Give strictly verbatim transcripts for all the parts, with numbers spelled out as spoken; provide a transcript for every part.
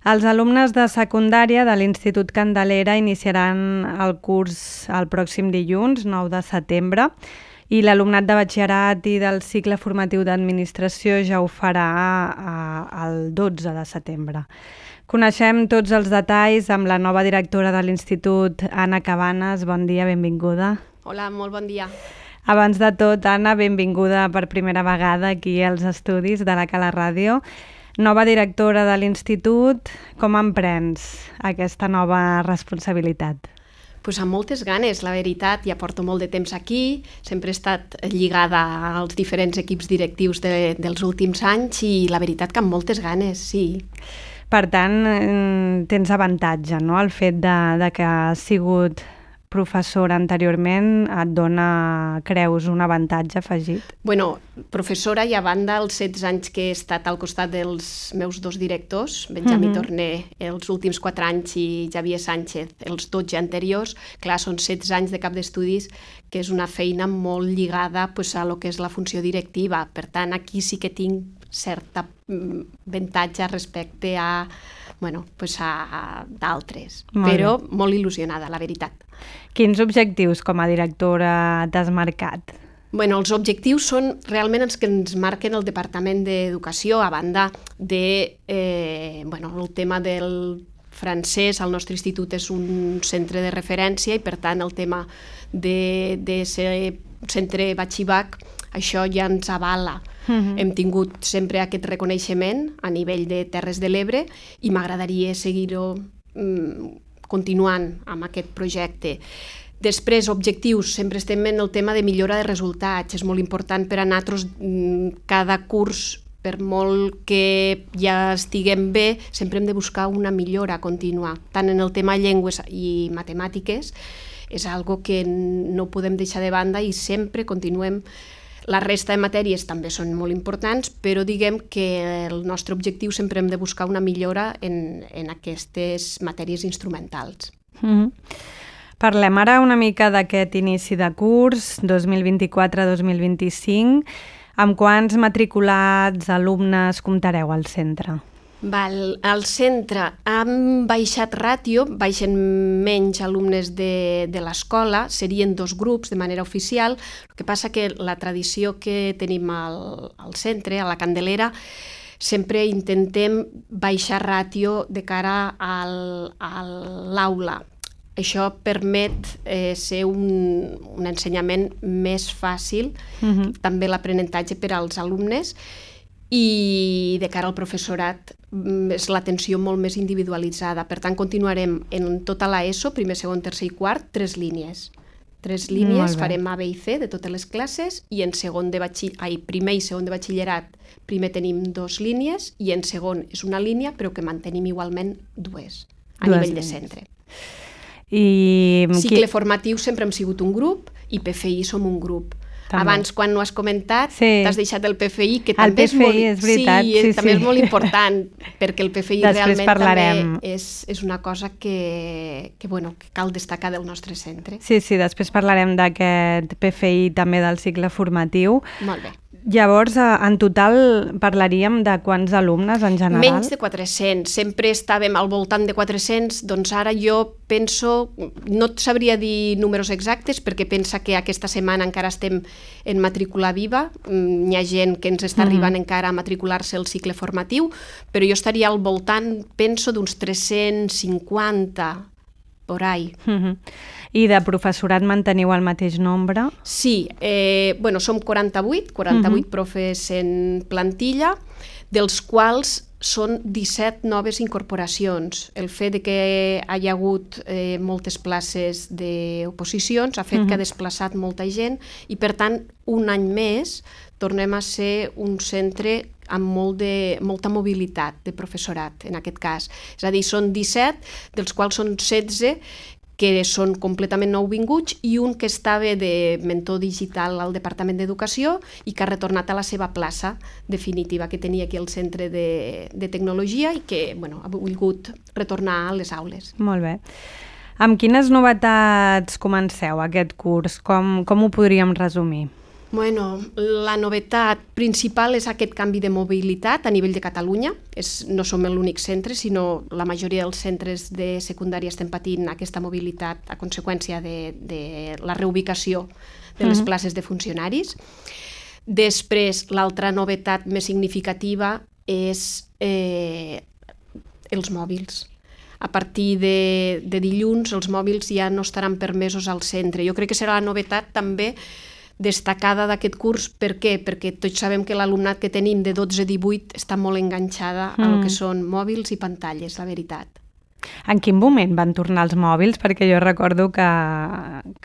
Els alumnes de secundària de l'Institut Candelera iniciaran el curs el pròxim dilluns, nou de setembre, i l'alumnat de batxillerat i del cicle formatiu d'administració ja ho farà el dotze de setembre. Coneixem tots els detalls amb la nova directora de l'Institut, Anna Cabanes. Bon dia, benvinguda. Hola, molt bon dia. Abans de tot, Anna, benvinguda per primera vegada aquí als estudis de la Cala Ràdio. Nova directora de l'Institut, com emprens aquesta nova responsabilitat? Pues amb moltes ganes, la veritat, ja porto molt de temps aquí, sempre he estat lligada als diferents equips directius de, dels últims anys i la veritat que amb moltes ganes, sí. Per tant, tens avantatge, no?, el fet de, de que has sigut professora anteriorment et dona, creus, un avantatge afegit? Bueno, professora i a banda els setze anys que he estat al costat dels meus dos directors, Benjamí uh-huh. Torné els últims quatre anys i Xavier Sánchez els dotze anteriors, clar, són setze anys de cap d'estudis, que és una feina molt lligada pues, a lo que és la funció directiva. Per tant, aquí sí que tinc certa avantatge respecte a, bueno, pues a d'altres, però molt il·lusionada, la veritat. Quins objectius com a directora t'has marcat? Bueno, els objectius són realment els que ens marquen el Departament d'Educació, a banda de, eh, bueno, el tema del francès. El nostre institut és un centre de referència i, per tant, el tema de, de ser centre batxibac, això ja ens avala. Uh-huh. Hem tingut sempre aquest reconeixement a nivell de Terres de l'Ebre i m'agradaria seguir-ho mm, continuant amb aquest projecte. Després, objectius, sempre estem en el tema de millora de resultats. És molt important per a nosaltres cada curs, per molt que ja estiguem bé, sempre hem de buscar una millora contínua, tant en el tema llengües i matemàtiques, és algo que no podem deixar de banda i sempre continuem. La resta de matèries també són molt importants, però diguem que el nostre objectiu sempre hem de buscar una millora en, en aquestes matèries instrumentals. Mm-hmm. Parlem ara una mica d'aquest inici de curs, dos mil vint-i-quatre dos mil vint-i-cinc. Amb quants matriculats, alumnes, comptareu al centre? Val, al centre han baixat ràtio, baixen menys alumnes de, de l'escola, serien dos grups de manera oficial. El que passa que la tradició que tenim al, al centre, a la Candelera, sempre intentem baixar ràtio de cara al, a l'aula. Això permet eh, ser un, un ensenyament més fàcil, uh-huh. també l'aprenentatge per als alumnes, i de cara al professorat és l'atenció molt més individualitzada. Per tant, continuarem en tota l'ESO, primer, segon, tercer i quart, tres línies. Tres línies, farem A, B i C de totes les classes, i en segon de batxiller... ai, primer i segon de batxillerat, primer tenim dos línies, i en segon és una línia, però que mantenim igualment dues, a dues nivell línies. De centre. I... Cicle formatiu sempre hem sigut un grup, i P F I som un grup. També. Abans, quan no has comentat, sí. t'has deixat el P F I, que també el P F I, és, molt, és, veritat, sí, sí, també sí. és molt important, perquè el P F I Després realment parlarem. també és, és una cosa que, que, bueno, que cal destacar del nostre centre. Sí, sí, després parlarem d'aquest P F I també del cicle formatiu. Molt bé. Llavors, en total parlaríem de quants alumnes en general? Menys de quatre-cents. Sempre estàvem al voltant de quatre-cents, doncs ara jo penso, no et sabria dir números exactes perquè pensa que aquesta setmana encara estem en matrícula viva, hi ha gent que ens està arribant mm-hmm. encara a matricular-se al cicle formatiu, però jo estaria al voltant, penso, d'uns tres-cents cinquanta, por ahí. Mm-hmm. I de professorat manteniu el mateix nombre? Sí, eh, bueno, som quaranta-vuit, quaranta-vuit uh-huh. profes en plantilla, dels quals són disset noves incorporacions. El fet de que hi ha hagut eh, moltes places d'oposicions ha fet uh-huh. que ha desplaçat molta gent i, per tant, un any més tornem a ser un centre amb molt de, molta mobilitat de professorat, en aquest cas. És a dir, són disset, dels quals són setze que són completament nouvinguts i un que estava de mentor digital al Departament d'Educació i que ha retornat a la seva plaça definitiva que tenia aquí al Centre de, de Tecnologia i que bueno, ha volgut retornar a les aules. Molt bé. Amb quines novetats comenceu aquest curs? Com, com ho podríem resumir? Bueno, la novetat principal és aquest canvi de mobilitat a nivell de Catalunya. És, no som l'únic centre, sinó la majoria dels centres de secundària estem patint aquesta mobilitat a conseqüència de, de la reubicació de les uh-huh. places de funcionaris. Després, l'altra novetat més significativa és eh, els mòbils. A partir de, de dilluns, els mòbils ja no estaran permesos al centre. Jo crec que serà la novetat també destacada d'aquest curs. Per què? Perquè tots sabem que l'alumnat que tenim de dotze a divuit està molt enganxada mm. a lo que són mòbils i pantalles, la veritat. En quin moment van tornar els mòbils? Perquè jo recordo que,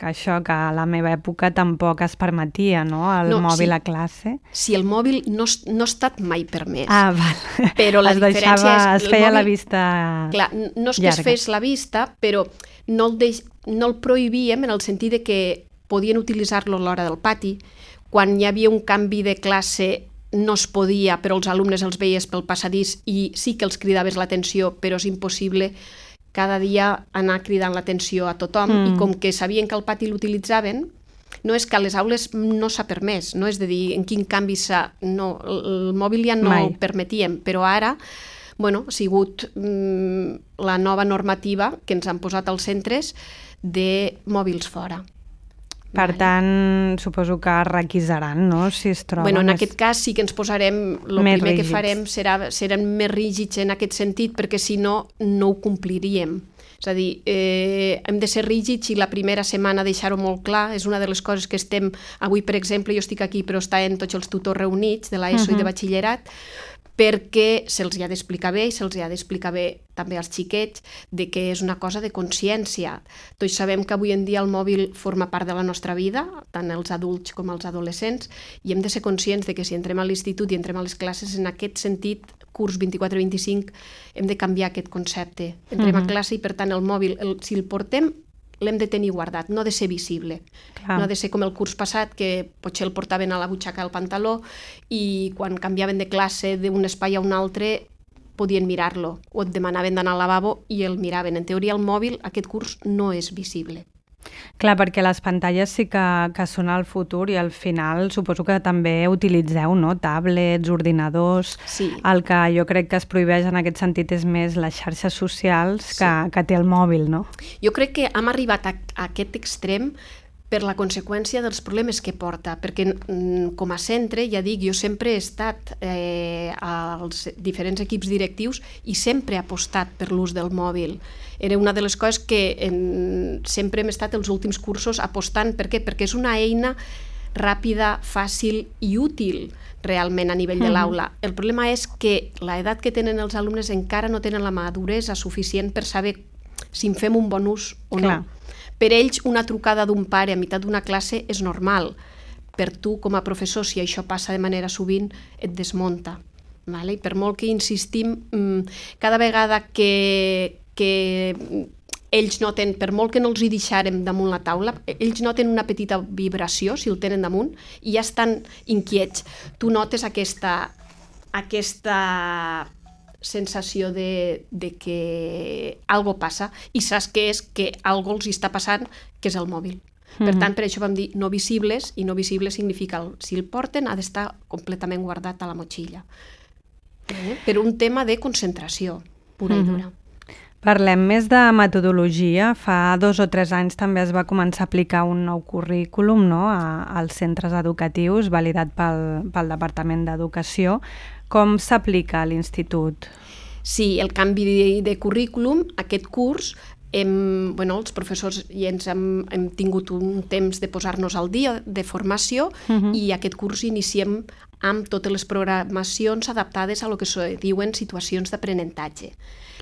que això, que a la meva època tampoc es permetia, no?, el no, mòbil sí. a classe. Sí, el mòbil no, no ha estat mai permès. Ah, val. Però la es diferència deixava, és... Es feia mòbil, la vista clar, no és que llarga. es fes la vista, però no el, deix, no el prohibíem en el sentit de que podien utilitzar-lo a l'hora del pati. Quan hi havia un canvi de classe no es podia, però els alumnes els veies pel passadís i sí que els cridaves l'atenció, però és impossible cada dia anar cridant l'atenció a tothom. Mm. I com que sabien que el pati l'utilitzaven, no és que a les aules no s'ha permès, no és de dir en quin canvi s'ha... No, el mòbil ja no Mai. ho permetíem, però ara bueno, ha sigut mm, la nova normativa que ens han posat als centres de mòbils fora. Per vale. tant, suposo que requisaran, no?, si es troben... Bueno, en més... aquest cas sí que ens posarem... El primer rígids. que farem serà, serem més rígids en aquest sentit, perquè si no, no ho compliríem. És a dir, eh, hem de ser rígids i la primera setmana deixar-ho molt clar. És una de les coses que estem... Avui, per exemple, jo estic aquí, però estan tots els tutors reunits de l'ESO uh-huh. i de batxillerat, perquè se'ls ha d'explicar bé i se'ls ha d'explicar bé també als xiquets de que és una cosa de consciència. Tots sabem que avui en dia el mòbil forma part de la nostra vida, tant els adults com els adolescents, i hem de ser conscients de que si entrem a l'institut i entrem a les classes, en aquest sentit, curs vint-i-quatre vint-i-cinc, hem de canviar aquest concepte. Entrem uh-huh. a classe i, per tant, el mòbil, el, si el portem, l'hem de tenir guardat, no ha de ser visible. Clar. No ha de ser com el curs passat, que potser el portaven a la butxaca del pantaló i quan canviaven de classe d'un espai a un altre podien mirar-lo o et demanaven d'anar al lavabo i el miraven. En teoria, el mòbil, aquest curs, no és visible. Clar, perquè les pantalles sí que, que són el futur i al final suposo que també utilitzeu, no?, tablets, ordinadors... Sí. El que jo crec que es prohibeix en aquest sentit és més les xarxes socials que, sí. que té el mòbil, no? Jo crec que hem arribat a, a aquest extrem per la conseqüència dels problemes que porta, perquè com a centre, ja dic, jo sempre he estat eh, als diferents equips directius i sempre he apostat per l'ús del mòbil. Era una de les coses que en, sempre hem estat els últims cursos apostant. Per què? Perquè és una eina ràpida, fàcil i útil realment a nivell de l'aula. El problema és que l'edat que tenen els alumnes encara no tenen la maduresa suficient per saber si en fem un bon ús o no. Clar. Per ells, una trucada d'un pare a meitat d'una classe és normal. Per tu, com a professor, si això passa de manera sovint, et desmunta. Vale? I per molt que insistim, cada vegada que, que ells noten, per molt que no els hi deixarem damunt la taula, ells noten una petita vibració, si el tenen damunt, i ja estan inquiets. Tu notes aquesta, aquesta sensació de, de que algo passa i saps que és que algo els està passant, que és el mòbil. Mm-hmm. Per tant, per això vam dir no visibles, i no visibles significa el, si el porten ha d'estar completament guardat a la motxilla. Eh? Per un tema de concentració pura mm-hmm. i dura. Parlem més de metodologia. Fa dos o tres anys també es va començar a aplicar un nou currículum, no?, a, als centres educatius, validat pel, pel Departament d'Educació. Com s'aplica a l'institut? Sí, el canvi de, de currículum, aquest curs, hem, bueno, els professors i ens hem, hem tingut un temps de posar-nos al dia de formació uh-huh. i aquest curs iniciem amb totes les programacions adaptades a lo que se diuen situacions d'aprenentatge.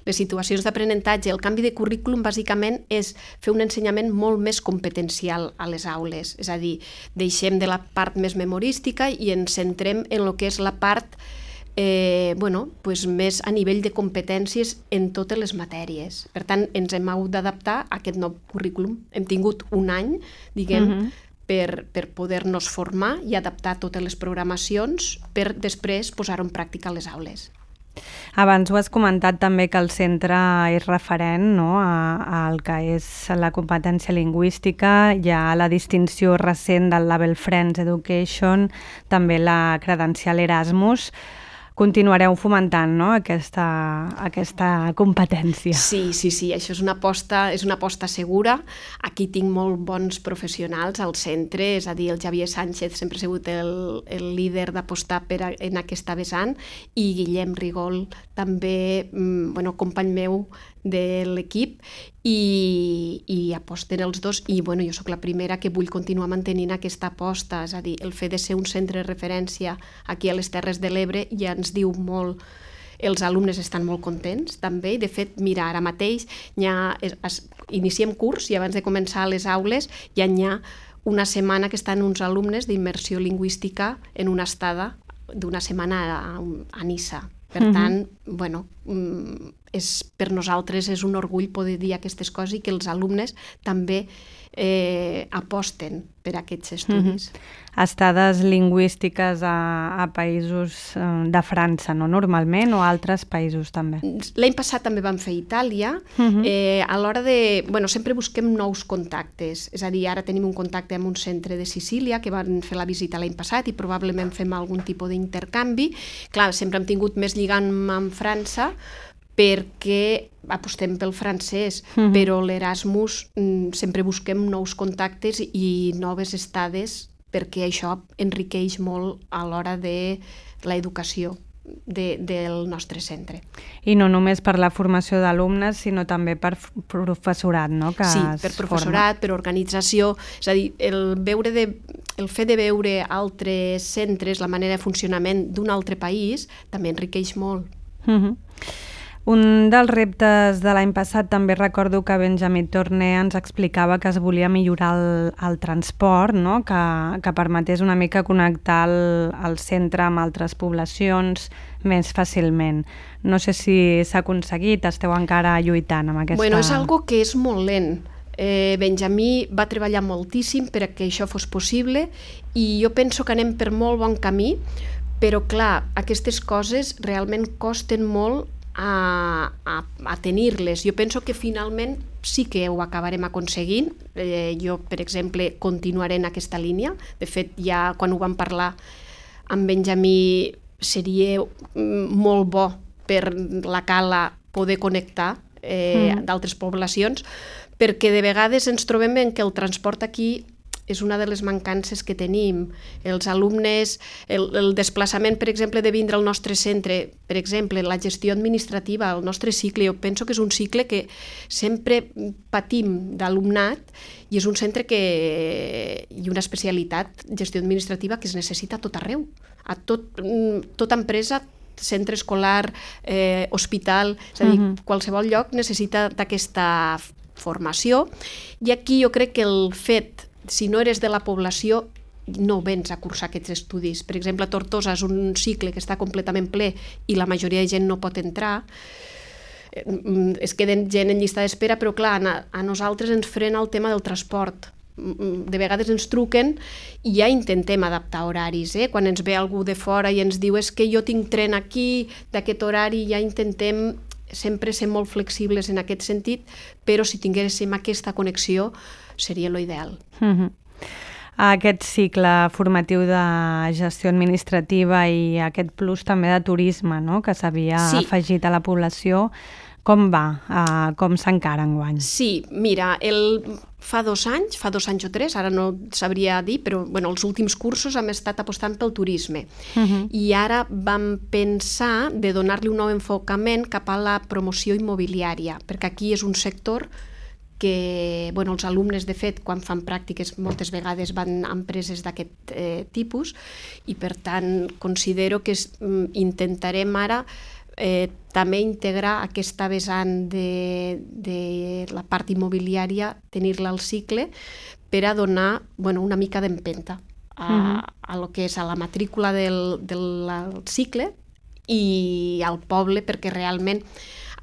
Les situacions d'aprenentatge, el canvi de currículum bàsicament és fer un ensenyament molt més competencial a les aules, és a dir, deixem de la part més memorística i ens centrem en el que és la part Eh, bueno, pues més a nivell de competències en totes les matèries. Per tant, ens hem hagut d'adaptar a aquest nou currículum. Hem tingut un any, diguem, uh-huh. per, per poder-nos formar i adaptar totes les programacions per després posar-ho en pràctica a les aules. Abans ho has comentat també que el centre és referent, no?, al que és la competència lingüística. Hi ha la distinció recent del Label Friends Education, també la credencial Erasmus. Continuareu fomentant, no?, aquesta, aquesta competència. Sí, sí, sí, això és una aposta, és una aposta segura. Aquí tinc molt bons professionals al centre, és a dir, el Xavier Sánchez sempre ha sigut el, el líder d'apostar per a, en aquesta vessant, i Guillem Rigol també, bueno, company meu de l'equip, i, i aposten els dos, i bueno, jo sóc la primera que vull continuar mantenint aquesta aposta, és a dir, el fet de ser un centre de referència aquí a les Terres de l'Ebre ja ens diu molt. Els alumnes estan molt contents també, i de fet, mira, ara mateix ja es, iniciem curs i abans de començar les aules ja hi ha una setmana que estan uns alumnes d'immersió lingüística en una estada d'una setmana a, a Niça. Per tant, uh-huh. bueno, és, per nosaltres és un orgull poder dir aquestes coses i que els alumnes també eh, aposten per aquests estudis. Uh-huh. Estades lingüístiques a, a països de França, no normalment, o a altres països també? L'any passat també vam fer Itàlia. Uh-huh. eh, a l'hora de... Bueno, sempre busquem nous contactes, és a dir, ara tenim un contacte amb un centre de Sicília que van fer la visita l'any passat i probablement fem algun tipus d'intercanvi. Clar, sempre hem tingut més lligam amb França, perquè apostem pel francès, uh-huh. però l'Erasmus sempre busquem nous contactes i noves estades, perquè això enriqueix molt a l'hora de l'educació de, del nostre centre. I no només per la formació d'alumnes, sinó també per professorat, no? Que sí, per professorat, forma. Per organització, és a dir, el, veure de, el fet de veure altres centres, la manera de funcionament d'un altre país, també enriqueix molt. Uh-huh. Un dels reptes de l'any passat també recordo que Benjamí Torné ens explicava que es volia millorar el, el transport, no? que, que permetés una mica connectar el, el centre amb altres poblacions més fàcilment. No sé si s'ha aconseguit, esteu encara lluitant amb aquesta... Bueno, és algo que és molt lent. Eh, Benjamí va treballar moltíssim perquè això fos possible i jo penso que anem per molt bon camí, però clar, aquestes coses realment costen molt a, a, a tenir-les. Jo penso que finalment sí que ho acabarem aconseguint. Eh, jo, per exemple, continuaré en aquesta línia. De fet, ja quan ho vam parlar amb Benjamí seria molt bo per la Cala poder connectar eh, mm. d'altres poblacions, perquè de vegades ens trobem en que el transport aquí és una de les mancances que tenim. Els alumnes, el, el desplaçament, per exemple, de vindre al nostre centre, per exemple, la gestió administrativa, el nostre cicle, jo penso que és un cicle que sempre patim d'alumnat i és un centre que, i una especialitat, gestió administrativa, que es necessita a tot arreu. A tot, tota empresa, centre escolar, eh, hospital, és a dir, uh-huh. qualsevol lloc necessita d'aquesta formació. I aquí jo crec que el fet, si no eres de la població, no vens a cursar aquests estudis. Per exemple, a Tortosa és un cicle que està completament ple i la majoria de gent no pot entrar. Es queden gent en llista d'espera, però clar, a nosaltres ens frena el tema del transport. De vegades ens truquen i ja intentem adaptar horaris. Eh? Quan ens ve algú de fora i ens diu és que jo tinc tren aquí, d'aquest horari, ja intentem sempre ser molt flexibles en aquest sentit, però si tinguéssim aquesta connexió seria l'ideal. Uh-huh. Aquest cicle formatiu de gestió administrativa i aquest plus també de turisme, no?, que s'havia sí. afegit a la població, com va? Uh, com s'encara enguany? Sí, mira, el... fa dos anys, fa dos anys o tres, ara no sabria dir, però bueno, els últims cursos hem estat apostant pel turisme. Uh-huh. I ara vam pensar de donar-li un nou enfocament cap a la promoció immobiliària, perquè aquí és un sector que bueno, els alumnes, de fet, quan fan pràctiques moltes vegades van a empreses d'aquest eh, tipus i, per tant, considero que es, intentarem ara eh, també integrar aquesta vessant de, de la part immobiliària, tenir-la al cicle, per a donar bueno, una mica d'empenta a, uh-huh. a lo que és a la matrícula del, del cicle i al poble, perquè realment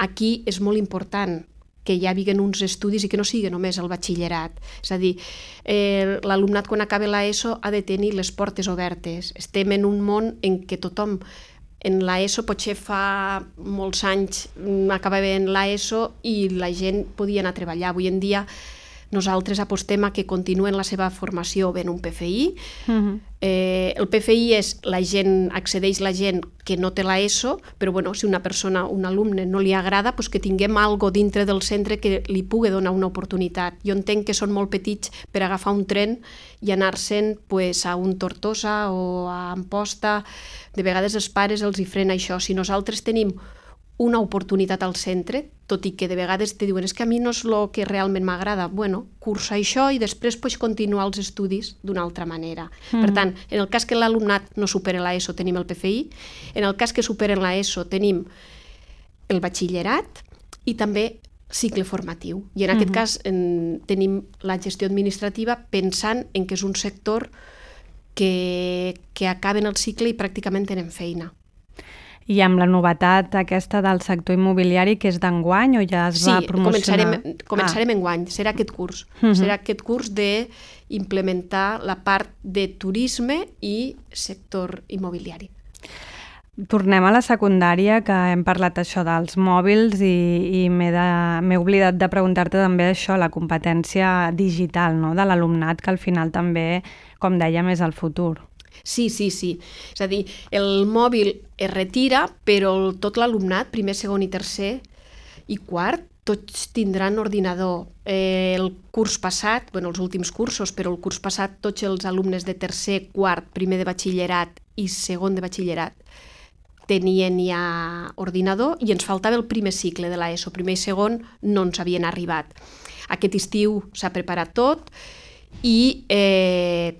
aquí és molt important que hi hagin uns estudis i que no sigui només el batxillerat. És a dir, eh, l'alumnat quan acaba l'ESO ha de tenir les portes obertes. Estem en un món en què tothom en l'ESO, potser fa molts anys acabaven l'ESO i la gent podia anar a treballar. Avui en dia nosaltres apostem a que continuen la seva formació ben un P F I. Uh-huh. Eh, el P F I és la gent, accedeix la gent que no té l'ESO, però bueno, si una persona, un alumne no li agrada, pues que tinguem algo dintre del centre que li pugui donar una oportunitat. Jo entenc que són molt petits per agafar un tren i anar-se'n pues, a un Tortosa o a Amposta. De vegades els pares els hi frena això. Si nosaltres tenim una oportunitat al centre, tot i que de vegades te diuen és que a mi no és el que realment m'agrada, bueno, cursa això i després pots continuar els estudis d'una altra manera. Mm. Per tant, en el cas que l'alumnat no supera l'ESO tenim el P F I, en el cas que superen l'ESO tenim el batxillerat i també cicle formatiu. I en aquest mm-hmm. cas en, tenim la gestió administrativa pensant en que és un sector que, que acaben el cicle i pràcticament tenen feina. I amb la novetat aquesta del sector immobiliari, que és d'enguany o ja es sí, va promocionar? Sí, començarem, començarem ah. enguany, serà aquest curs. Uh-huh. Serà aquest curs d'implementar la part de turisme i sector immobiliari. Tornem a la secundària, que hem parlat això dels mòbils i, i m'he, de, m'he oblidat de preguntar-te també això, la competència digital, no?, de l'alumnat, que al final també, com dèiem, és el futur. Sí, sí, sí. És a dir, el mòbil es retira, però tot l'alumnat, primer, segon i tercer i quart, tots tindran ordinador. Eh, el curs passat, bueno, els últims cursos, però el curs passat tots els alumnes de tercer, quart, primer de batxillerat i segon de batxillerat tenien ja ordinador i ens faltava el primer cicle de l'ESO. Primer i segon no ens havien arribat. Aquest estiu s'ha preparat tot i eh,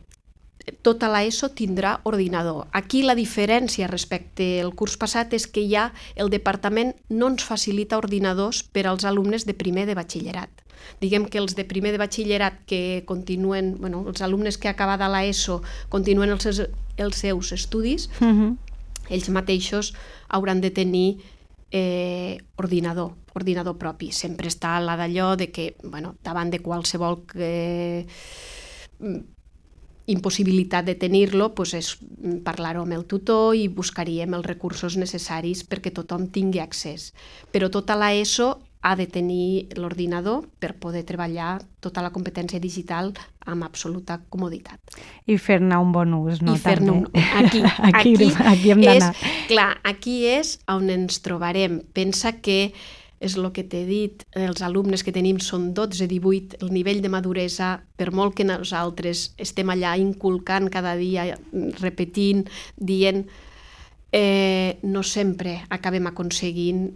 tota l'ESO tindrà ordinador. Aquí la diferència respecte al curs passat és que ja el departament no ens facilita ordinadors per als alumnes de primer de batxillerat. Diguem que els de primer de batxillerat que continuen, bueno, els alumnes que acabada l'ESO continuen els seus, els seus estudis, uh-huh. ells mateixos hauran de tenir eh, ordinador, ordinador propi. Sempre està la d'allò de que, bueno, davant de qualsevol eh, impossibilitat de tenir-lo, doncs és parlar-ho amb el tutor i buscaríem els recursos necessaris perquè tothom tingui accés. Però tota l'ESO ha de tenir l'ordinador per poder treballar tota la competència digital amb absoluta comoditat. I fer-ne un bon ús, no? I fer-ne un... Aquí, aquí, aquí, aquí hem d'anar. És, clar, aquí és on ens trobarem. Pensa que és el que t'he dit, els alumnes que tenim són dotze divuit, el nivell de maduresa, per molt que nosaltres estem allà inculcant cada dia, repetint, dient, eh, no sempre acabem aconseguint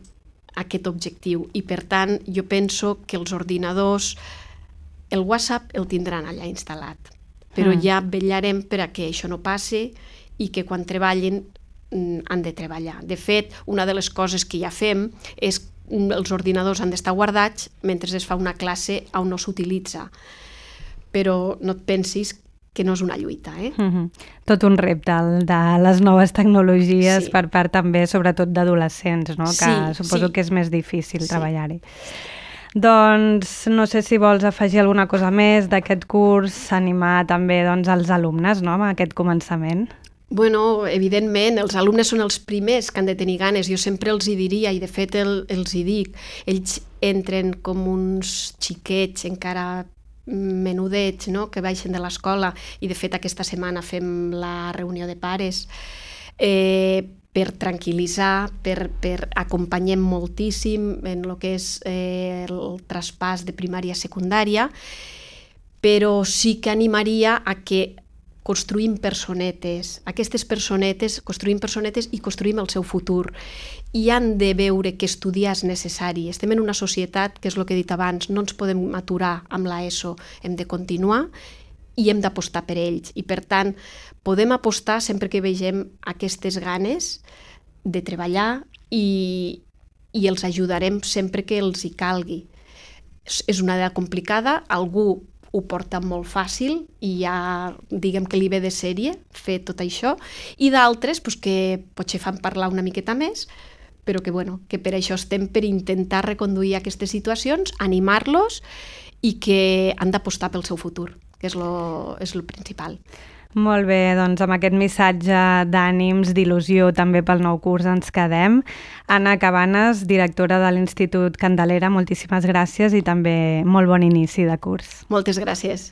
aquest objectiu. I per tant, jo penso que els ordinadors, el WhatsApp el tindran allà instal·lat, però mm. ja vetllarem per a que això no passi i que quan treballin han de treballar. De fet, una de les coses que ja fem és els ordinadors han d'estar guardats mentre es fa una classe on no s'utilitza. Però no et pensis que no és una lluita. Eh? Uh-huh. Tot un repte el de les noves tecnologies sí. per part també, sobretot d'adolescents, no? Que sí, suposo sí. que és més difícil sí. treballar-hi. Doncs no sé si vols afegir alguna cosa més d'aquest curs, animar també doncs, els alumnes, no?, amb aquest començament. Bueno, evidentment, els alumnes són els primers que han de tenir ganes. Jo sempre els hi diria, i de fet el, els hi dic, ells entren com uns xiquets encara menudets, no?, que baixen de l'escola, i de fet aquesta setmana fem la reunió de pares, eh, per tranquil·litzar, per, per acompanyem moltíssim en el que és eh, el traspàs de primària a secundària, però sí que animaria a que construïm personetes. Aquestes personetes, construïm personetes i construïm el seu futur. I han de veure que estudiar és necessari. Estem en una societat, que és el que he dit abans, no ens podem aturar amb l'ESO, hem de continuar i hem d'apostar per ells. I per tant, podem apostar sempre que vegem aquestes ganes de treballar i, i els ajudarem sempre que els hi calgui. És una idea complicada, algú ho porta molt fàcil i ja diguem que li ve de sèrie fer tot això, i d'altres pues, que potser fan parlar una miqueta més, però que, bueno, que per això estem per intentar reconduir aquestes situacions, animar-los i que han d'apostar pel seu futur, que és lo, és lo principal. Molt bé, doncs amb aquest missatge d'ànims, d'il·lusió també pel nou curs ens quedem. Anna Cabanes, directora de l'Institut Candelera, moltíssimes gràcies i també molt bon inici de curs. Moltes gràcies.